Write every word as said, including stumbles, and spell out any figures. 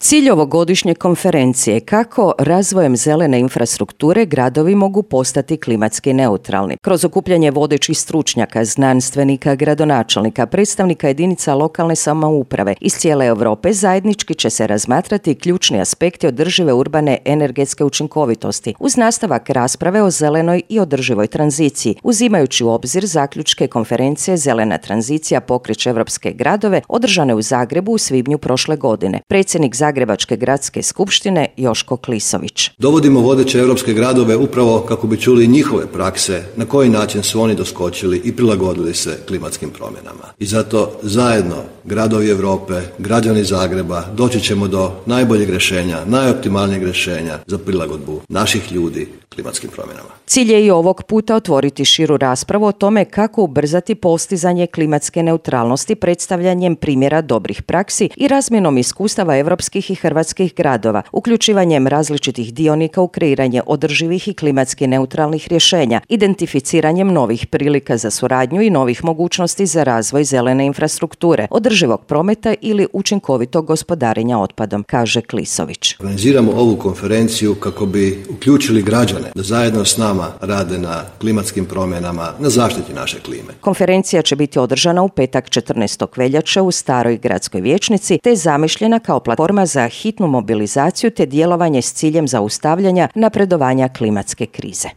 Cilj ovogodišnje konferencije je kako razvojem zelene infrastrukture gradovi mogu postati klimatski neutralni. Kroz okupljanje vodećih stručnjaka, znanstvenika, gradonačelnika, predstavnika jedinica lokalne samouprave iz cijele Europe zajednički će se razmatrati ključni aspekti održive urbane energetske učinkovitosti uz nastavak rasprave o zelenoj i održivoj tranziciji, uzimajući u obzir zaključke konferencije Zelena tranzicija pokreće evropske gradove održane u Zagrebu u svibnju prošle godine. Predsjednik Zagrebačke gradske skupštine Joško Klisović. Dovodimo vodeće europske gradove upravo kako bi čuli njihove prakse, na koji način su oni doskočili i prilagodili se klimatskim promjenama. I zato zajedno gradovi Europe, građani Zagreba doći ćemo do najboljeg rješenja, najoptimalnijeg rješenja za prilagodbu naših ljudi klimatskim promjenama. Cilj je i ovog puta otvoriti širu raspravu o tome kako ubrzati postizanje klimatske neutralnosti predstavljanjem primjera dobrih praksi i razmjenom iskustava europskih i hrvatskih gradova, uključivanjem različitih dionika u kreiranje održivih i klimatski neutralnih rješenja, identificiranjem novih prilika za suradnju i novih mogućnosti za razvoj zelene infrastrukture, održivog prometa ili učinkovitog gospodarenja otpadom, kaže Klisović. Organiziramo ovu konferenciju kako bi uključili građane da zajedno s nama rade na klimatskim promjenama, na zaštiti naše klime. Konferencija će biti održana u petak četrnaestog veljače u Staroj gradskoj vijećnici te je zamišljena kao platforma za hitnu mobilizaciju te djelovanje s ciljem zaustavljanja napredovanja klimatske krize.